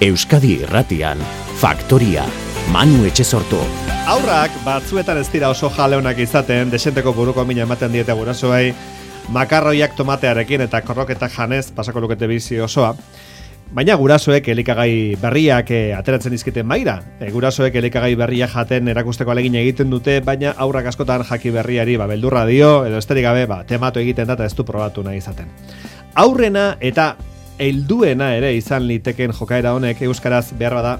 Euskadi Irratian, Faktoria, Manu Etxesortu. Aurrak batzuetan ez dira oso jaleonak izaten, desenteko buruko mina ematen diete gurasoei, makarroiak tomatearekin eta korroketak janez pasako lukete bizi osoa. Baina gurasoek elikagai berriak ateratzen dizkiten maira. Gurasoek elikagai berriak jaten erakusteko alegin egiten dute, baina aurrak askotan jaki berriari beldurra dio, edo esterik gabe tematu egiten da eta ez du probatu nahi izaten. Aurrena eta helduena ere izan liteken jokaera honek euskaraz behar bada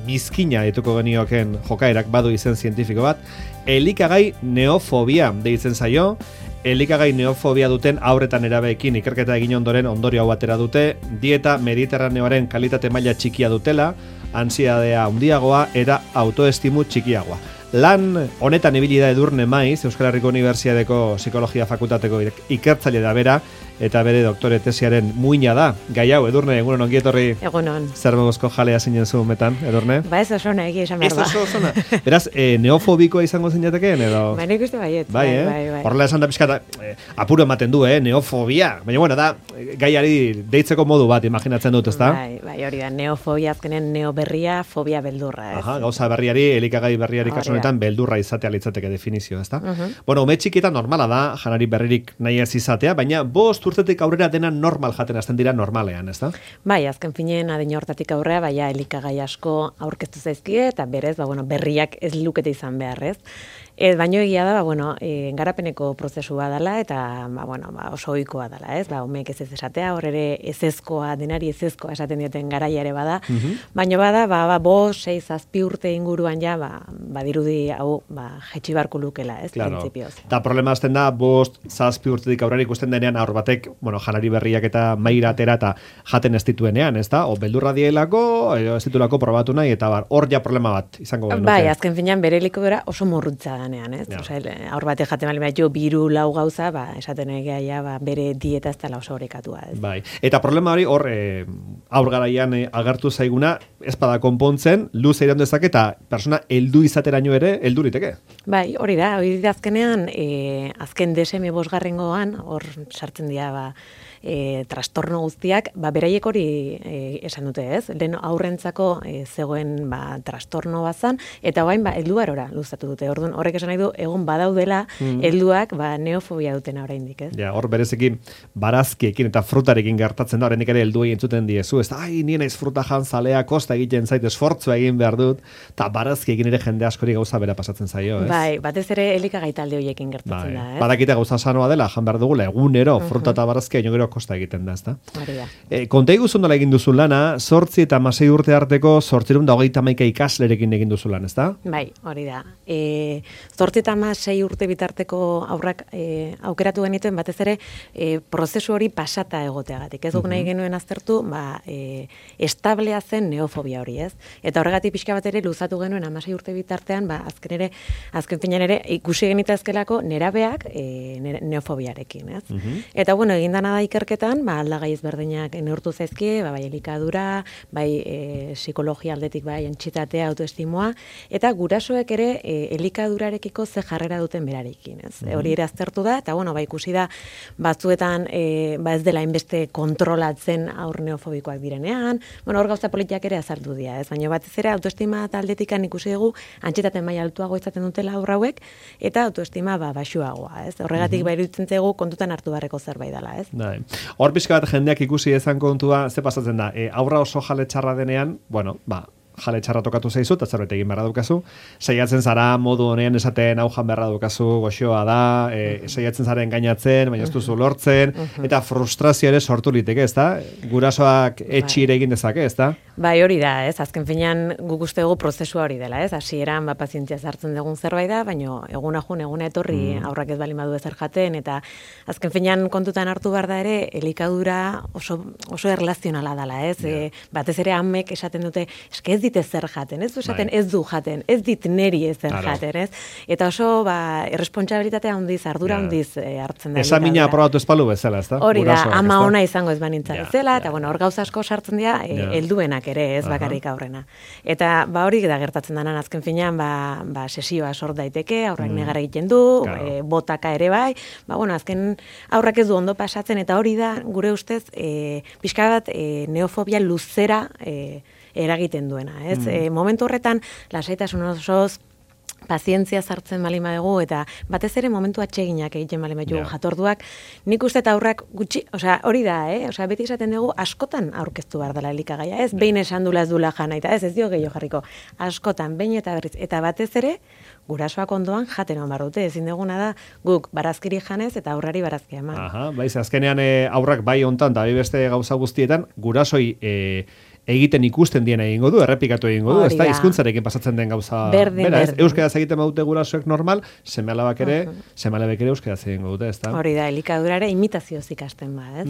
mizkina dituko genioken jokaerak badu izen zientifiko bat, elikagai neofobia deitzen zaio. Elikagai neofobia duten aurretan erabeekin ikerketa egin ondoren ondorio hau atera dute, dieta mediterraneoaren kalitate maila txikia dutela, ansiedadea handiagoa eta autoestimu txikiagoa. Lan honetan ibili da Edurne Maiz, Euskal Herriko Unibertsitateko Psikologia Fakultateko ikertzaile da bera, eta bere doktore tesiaren muina da. Gai hau, Edurne, egunon ongi etorri. Egunon. Zer mogozko jalea zinen zu metan, Edurne? Ba ez oso nahi esan behar da. Ez oso zona. Beraz, neofobikoa izango zinateken, edo? Ba nik uste baiet. Bai. Horrela esan da pixka, apuro ematen du, neofobia. Baina, bueno, da, gaiari deitzeko modu bat, imaginatzen dut, ezta? Bai, hori da, neofobia azkenen neoberria, fobia beldurra, ez? Aha, gauza berriari, elikagai berriari kasu honetan beldurra izatea litzateke definizio, ezta? Bueno, ume txikietan normala da, janari berririk nahi ez izatea, baina 5 urtetik aurrera dena normal jaten hasten dira normalean, ezta? Bai, azken finean adin hortatik aurrera, baina elikagai asko aurkeztu zaizkie, eta berez, berriak ez lukete izan behar, ez? Baino egia da, garapeneko prozesua dela eta oso ohikoa dela, ez? Umeek ez esatea, hor ere ezezkoa, denari ezezkoa esaten dioten garaia ere bada. Baino bada, 5, 6, 7 urte inguruan ja, badirudi hau, jetxi barku lukela, ez? Claro. Eta problema azten da, 5, 7 urtetik aurrera ikusten denean aur batek, janari berriak eta maira atera eta jaten ez dituenean, ez da? O beldurra dielako, ez ditulako probatu nahi, eta hor ja problema bat izango genuke. Bai, azken finean bere helikobera oso morrutza da. Ez? Ja. Aur bate jaten bali bat jo 2-4 gauza, esaten egia bere dieta ez dela oso horrekatua. Ez? Bai. Eta problema hori hor aur garaian agertu zaiguna, ez bada konpontzen, luze iraun dezake eta persona heldu izateraino ere heldu liteke. Bai, hori da azkenean, azken DSM 5 hor sartzen dira trastorno guztiak, beraiek hori esan dute, ez? Lehen aurrentzako zegoen trastorno bazan, eta orain helduarora luzatu dute. Orduan horrek esan nahi du egon badaudela helduak neofobia dutena oraindik, ez? Ja, hor bereziki barazkiekin eta frutarekin gertatzen da, oraindik ere helduei entzuten diezu, ez? Ai, ni naiz fruta jan zalea, kosta egiten zait, esfortzua egin behar dut, eta barazkiekin ere jende askori gauza bera pasatzen zaio, ez? Bai, batez ere elikagai talde horiekin gertatzen da, ez? Badakite gauza sanoa dela, jan behar dugula, egunero, fruta eta barazkia gero kosta egiten da, ezta? Konta iguzu nola egin duzu lana, 8 eta 16 urte arteko 821 ikaslerekin egin duzu lan, ezta? Bai, hori da. 8 eta 16 urte bitarteko aurrak aukeratu genituen batez ere prozesu hori pasata egoteagatik. Ez duk nahi genuen aztertu, establea zen neofobia hori, ez? Eta horregatik pixka bat ere luzatu genuen 16 urte bitartean, azken finean ere ikusi genitazkelako nerabeak neofobiarekin, ez? Eta egin dana da ikerketan, aldagai ezberdinak neurtu zaizkie, bai elikadura, bai psikologia aldetik, bai antsietatea, autoestimua, eta gurasoek ere elikadurarekiko ze jarrera duten berarekin, ez? Hori ere aztertu da, eta ikusi da batzuetan ez dela inbeste kontrolatzen aur neofobikoak direnean, hor gauza politiak ere azaldu dira, ez? Baina batez ere autoestima taldetikan ikusi dugu antsietate maila altuago izaten dutela aur hauek, eta autoestima baxuagoa, ez? Horregatik iruditzen zaigu kontutan hartu beharreko zerbait dela, ez? Hor pixka bat jendeak ikusi ezan kontua, ze pasatzen da, aurra oso jale txarra denean, jale txarra tokatu zaizu, eta zerbait egin beharra dukazu, saiatzen zara modu honean esaten hau jan beharra dukazu, goxoa da, saiatzen zaren gainatzen, baina ez duzu lortzen, eta frustrazio ere sortu liteke, ez da? Gurasoak etxire egin dezake, ez da? Bai, hori da, ez? Azken finean guk uste dugu prozesua hori dela, ez? Hasieran pazientzia zartzen dugun zerbait da, baina eguna etorri aurrak ez bali madu ezer jaten, eta azken finean kontutan hartu behar da ere, elikadura oso erlazionala dela, ez? Batez ere amek esaten dute, eske ez dit ezer jaten, ez du esaten ez du jaten, ez dit neri ezer jaten, ez? Eta oso erresponsabilitatea handiz, ardura handiz hartzen da. Esa mina aprobatu espalu bezala, ez da? Hori da, ama ona izango ez banintza bezala, eta hor gauza asko sartzen dira helduenak ere, ez bakarrik aurrena. Eta hori da gertatzen denan azken finean, sesioa sort daiteke, aurrak negara egiten du, botaka ere bai, azken aurrak ez du ondo pasatzen, eta hori da, gure ustez, pixka bat neofobia luzera eragiten duena, ez? Momentu horretan, lasaitasun osoz, pazientzia sartzen bali madugu, eta batez ere momentu atseginak egiten bali madugu jatorduak, nik uste eta aurrak gutxi, hori da, beti esaten dugu askotan aurkeztu behar dela elikagaia, ez? Behin esan dula ez dula jana, eta ez dio gehiago jarriko, askotan, behin eta berriz, eta batez ere, gurasoak ondoan jaten hon dute, ezin duguna da, guk barazkiri janez eta aurrari barazkia eman. Aha, baiz, azkenean aurrak bai hontan, eta beste gauza guztietan, gurasoi egiten ikusten diena egingo du, errepikatu egingo du, ez da, hizkuntzarekin pasatzen den gauza bera, ez? Euskaraz egiten badute gurasoek normal, seme-alabek ere euskaraz egingo dute, ez da? Hori da, elikadura ere imitazioz ikasten ba, ez?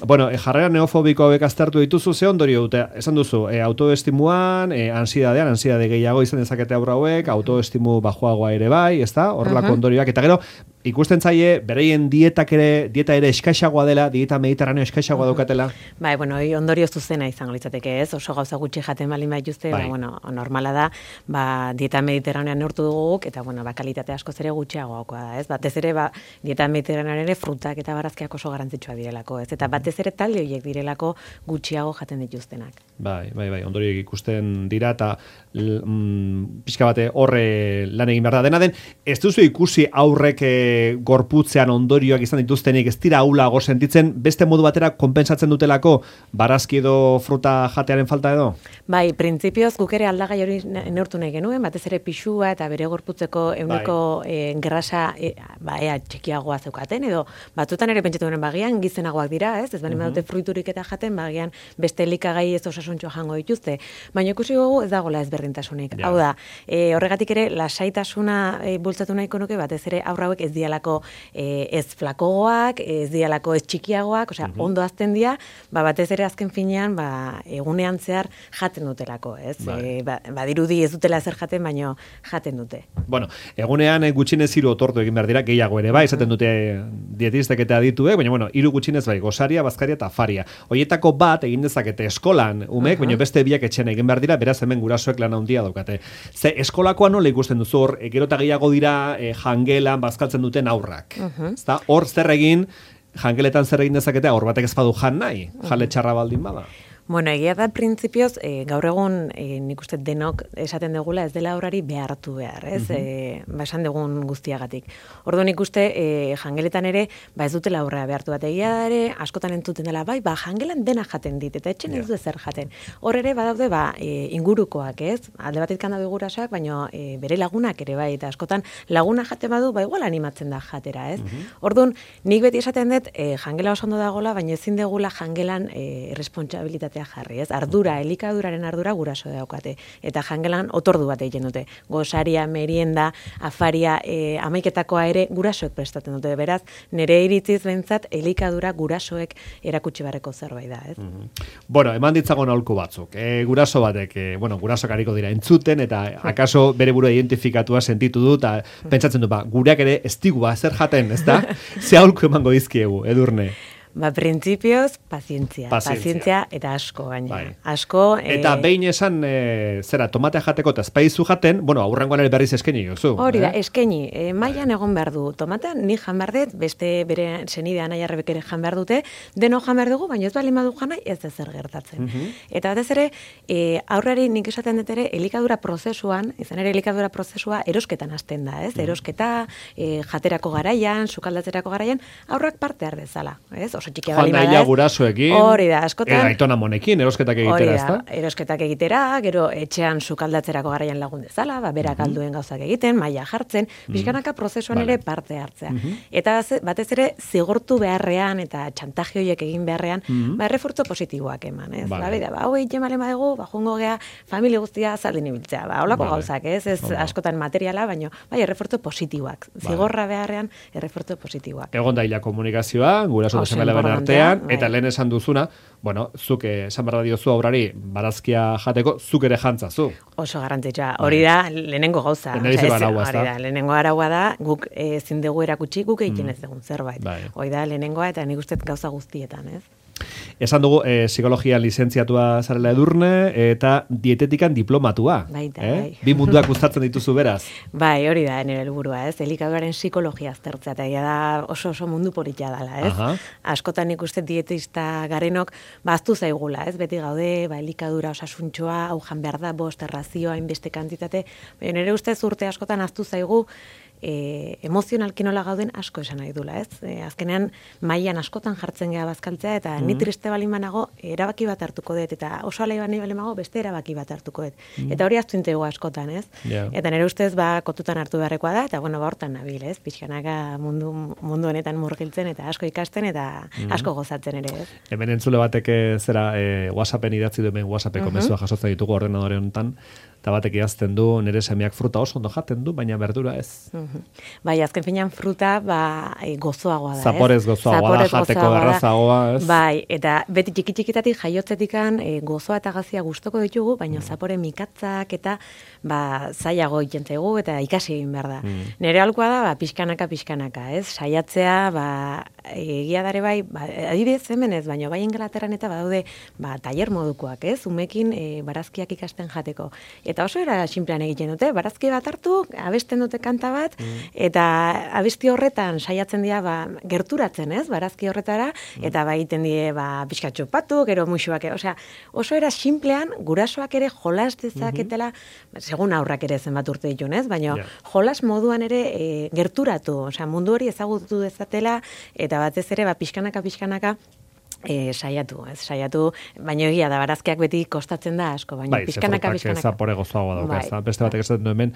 Bueno, jarrera neofobiko hauek aztertu dituzu, ze ondorio dute, esan duzu, autoestimuan, ansiedade gehiago izan dezakete aurra hauek, autoestimu bajoagoa ere bai, ez da? Horrelako ondorioak, eta gero, ikusten zaie, bereien dieta ere eskaixagoa dela, dieta mediterraneo eskaixagoa daukatela? Bai, bueno, ondorio zuzena izango litzateke, ez? Oso gauza gutxi jaten balin baituzte, normala da, dieta mediterranean neurtu duguk, eta, kalitate askoz ere gutxiagoakoa da, ez? Batez ere, dieta mediterranean ere frutak eta barazkiak oso garrantzitsua direlako, ez? Eta batez ere talde horiek direlako gutxiago jaten dituztenak. Bai, ondorioek ikusten dira, eta pixka bate horre lan egin behar da. Dena den, ez duzu ikusi aurrek gorputzean ondorioak izan dituztenik, ez dira aulago sentitzen, beste modu batera konpensatzen dutelako barazki edo fruta jatearen falta edo? Bai, printzipioz guk ere aldagai hori neurtu nahi genuen, batez ere pixua eta bere gorputzeko euneko grasa ea txikiagoa zeukaten, edo batzutan ere pentsatu genen bagian gizenagoak dira, ez bali badute fruiturik eta jaten, bagian beste elikagai ez osasuntxoa jango dituzte, baina ikusi gogu ez dagoela ezberdintasunik. Hau da, horregatik ere lasaitasuna bultzatu nahiko nuke, batez ere aurra hauek ez dialako ez flakogoak, ez dialako ez txikiagoak, ondo azten dira, batez ere azken finean, egunean zehar jaten dutelako, ez? Badirudi ez dutela zer jaten, baino jaten dute. Bueno, egunean gutxinez 3 otortu egin behar dira, gehiago ere bai, esaten dute dietistek eta adituek, baina 3 gutxinez bai, gosaria, bazkaria eta afaria. Hoietako bat egin dezakete eskolan umek, baina beste biak etxean egin behar dira, beraz hemen gurasoek lan handia daukate. Ze eskolakoa nola ikusten duzu hor, gero eta gehiago dira jangelan bazkaltzen duten aurrak. Hor zer egin, jangeletan zer egin dezakete, hor batek ez badu jan nahi, jale txarra baldin bada. Bueno, egia da printzipioz, gaur egun nik uste denok esaten dugula ez dela horari behartu behar, ez? Esan dugun guztiagatik. Orduan ikuste jangeletan ere, ez dutela aurrea behartu bat. Egia ere, askotan entzuten dela, jangelan dena jaten dit, eta etxen ez du ezer jaten. Hor ere, badaude, ingurukoak, ez? Alde batetik daude gurasoak, baina bere lagunak ere bai, eta askotan laguna jaten badu, igual animatzen da jatera, ez? Orduan, nik beti esaten dut, jangela oso ondo dagoela, baina ezin degula jangelan responsabilitatea jarri, ez? Ardura, elikaduraren ardura guraso daukate. Eta jangelan otordu bat egiten dute. Gosaria, merienda, afaria, amaiketakoa ere gurasoek prestatzen dute. Beraz, nire iritziz behintzat, elikadura gurasoek erakutsi barreko zerbait da, ez? Bueno, eman ditzagon aholku batzuk. Guraso batek, gurasoak hariko dira entzuten, eta akaso bere burua identifikatua sentitu du, eta pentsatzen du, gureak ere ez digu zer jaten, ez da? Ze aholku emango dizkiegu, Edurne? Printzipioz, pazientzia eta asko gaina. Asko... Eta behin esan, tomatea jateko eta espaizu jaten, aurrengoan ere berriz eskeni, jozu. Hori da, eskeni. Mailan egon behar du. Tomatean ni jan behar dut, beste bere senidea nahi arrebek ere jan behar dute, deno jan behar dugu, baina ez bali madu janai ez zer gertatzen. Eta batez ere, aurrari nik esaten dut ere, elikadura prozesuan, izan ere elikadura prozesua erosketan hasten da, ez? Erosketa, jaterako garaian, sukaldatzerako garaian, aurrak parte har dezala, ez? Oso txikia bali bada. Joan gurasoekin. Hori da, askotan. Aitona monekin, erosketak egitera, ezta? Erosketak egitera, gero etxean sukaldatzerako garaian lagun dezala, berak alduen gauzak egiten, maila jartzen, bizkanaka prozesuan ere parte hartzea. Eta batez ere zigortu beharrean eta txantaje horiek egin beharrean, errefortzo positiboak eman, ez? Hau egiten bale badegu, joango gea familia guztia zaldin ibiltzea. Holako gauzak, ez? Ez askotan materiala, baina errefortzo positiboak. Zigorra beharrean errefortzo positiboak. Egon da hila komunikazioa, guraso artean, eta lehen esan duzuna, zuk esan barra diozu aurrari barazkia jateko, zuk ere jantzazu. Oso garrantzitsua. Hori da, lehenengo gauza. Lehenengo araua da, guk ezin dugu erakutsi, guk egiten ez dugun zerbait. Hori da, lehenengoa eta nik uste gauza guztietan, ez? Esan dugu, psikologia lizentziatua zarela Edurne, eta dietetikan diplomatua. Baita, bai. Bi munduak gustatzen dituzu beraz. Bai, hori da, nire helburua, ez? Elikaduraren psikologia aztertzea, eta da oso mundu politia dela, ez? Aha. Askotan ikusten dietista garenok, baztu zaigula, ez? Beti gaude, elikadura osasuntxoa, hau jan behar da, bost errazioa, inbeste kantitate, baina nire ustez urte askotan aztu zaigu, emozionalki nola gauden asko esan nahi dula, ez? Azkenean mailan askotan jartzen gea bazkaltzea eta ni triste balin banago erabaki bat hartuko dut eta oso alai balin banago beste erabaki bat hartuko dut. Eta hori aztu intego askotan, ez? Yeah. Eta nire ustez kontutan hartu beharrekoa da eta hortan nabil, ez? Pixkanaka mundu honetan murgiltzen eta asko ikasten eta asko gozatzen ere, ez? Hemen entzule batek WhatsAppen idatzi duen WhatsAppeko mezua jasotzen ditugu ordenadore honetan. Eta batek idazten du, nire semeak fruta oso ondo jaten du, baina berdura ez. Bai, azken finean fruta gozoagoa da, Zaporez gozoagoa da, jateko errazagoa, ez? Bai, eta beti txiki-txikitatik jaiotzetikan gozoa eta gazia gustoko ditugu, baina zapore mikatzak eta zailago egiten zaigu eta ikasi egin behar da. Nire alkoa da, pixkanaka, ez? Saiatzea, egia dare bai, adibidez hemen ez, baina bai Inglaterran eta badaude tailer modukoak, ez? Umekin barazkiak ikasten jateko. Eta oso era sinplean egiten dute, barazki bat hartu, abesten dute kanta bat, eta abesti horretan saiatzen dira gerturatzen, ez, barazki horretara, eta egiten die pixka txopatu, gero musuak, oso era sinplean, gurasoak ere jolas dezaketela, segun aurrak ere zenbat urte ditun, ez, baina jolas moduan ere gerturatu, mundu hori ezagutu dezatela, eta batez ere pixkanaka, saiatu, baina egia da, barazkiak beti kostatzen da asko, baina pixkanaka. Zapore gozoagoa dauka, beste batek esaten du hemen,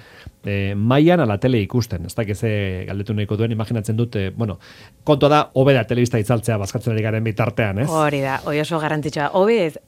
mailan ala tele ikusten, ez dakiz galdetu nahiko duen, imaginatzen dut, kontua da, hobe da telebista itzaltzea bazkatzen ari garen bitartean, ez? Hori da, hori oso garrantzitsua,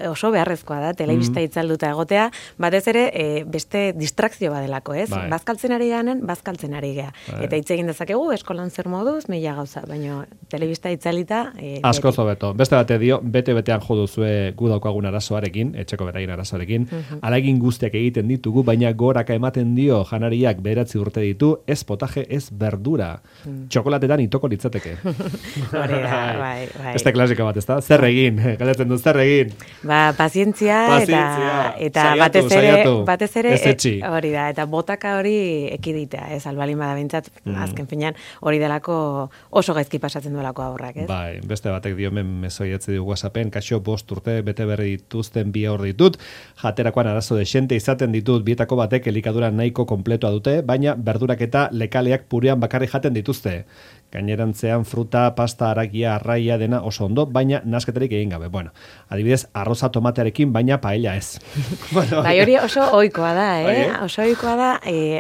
oso beharrezkoa da, telebista itzalduta egotea, batez ere, beste distrakzio badelako, ez? Bazkaltzen ari ganen, bazkaltzen ari gea. Eta hitz egin dezakegu, eskolan zer moduz, mila gauza, baina telebista itzalita... Asko zobeto, beste dio, bete-betean jo duzue gu daukagun arazoarekin, etxeko beraien arazoarekin, alagin guztiak egiten ditugu, baina goraka ematen dio janariak 9 urte ditu, ez potaje, ez verdura. Txokolatetan itoko litzateke. Hori da, bai. Beste klasiko bat, ez da? Zer egin? Galdetzen du, zer egin? Pazientzia eta batez ere, hori da, eta botaka hori ekiditea, ez, albalin badabintzat, azken finean, hori delako oso gaizki pasatzen duelako aurrak, ez? Bai, beste batek dio mesoi du WhatsAppen, kaixo 5 urte bete berri dituzten 2 hor ditut, jaterakoan arazo desente izaten ditut, bietako batek elikadura nahiko konpletoa dute, baina berdurak eta lekaleak purean bakarri jaten dituzte. Gainerantzean fruta, pasta, aragia, arraia dena oso ondo, baina nasketarik egin gabe. Bueno, adibidez, arroza tomatearekin, baina paella ez. Bai, hori oso ohikoa da, oso ohikoa da,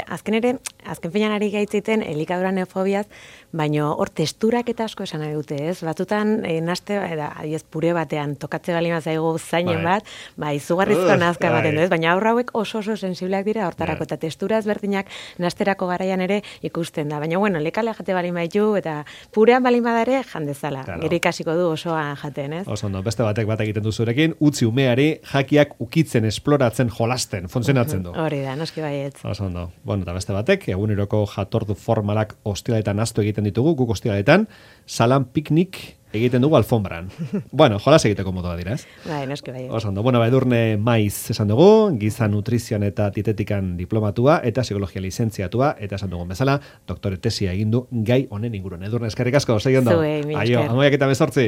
azken finean ari gaitzeiten elikadura neofobiaz, baina hor testurak eta asko esan nahi dute, ez? Batutan, naste, adiez, pure batean, tokatze bali mazaigu zainen bat, izugarrizko nazka baten du, ez? Baina aurra hauek oso sensibleak dira hortarako, eta testura ezberdinak nasterako garaian ere ikusten da. Baina, bueno, lekale jate bali maitu, eta purean bali madare jandezala. Gero ikasiko du osoa jaten, ez? Oso ondo, beste bat egiten duzurekin, utzi umeari jakiak ukitzen, esploratzen, jolasten, funtzionatzen du. Hori da, noski baietz. Oso ondo. Bueno, eta beste batek, eguneroko jatordu formalak ostiraletan astu egiten ditugu, guk ostiraletan, salan piknik egiten dugu alfombran. Bueno, jolas egiteko modua dira, ez? Bai, noski bai. Oso ondo. Bueno, Edurne Maiz esan dugu, giza nutrizioan eta dietetikan diplomatua eta psikologia lizentziatua, eta esan dugun bezala, doktore tesia egin du gai honen inguruan. Edurne, eskerrik asko, segi ondo. Zuei, mi esker. Aio, amoiak eta 18.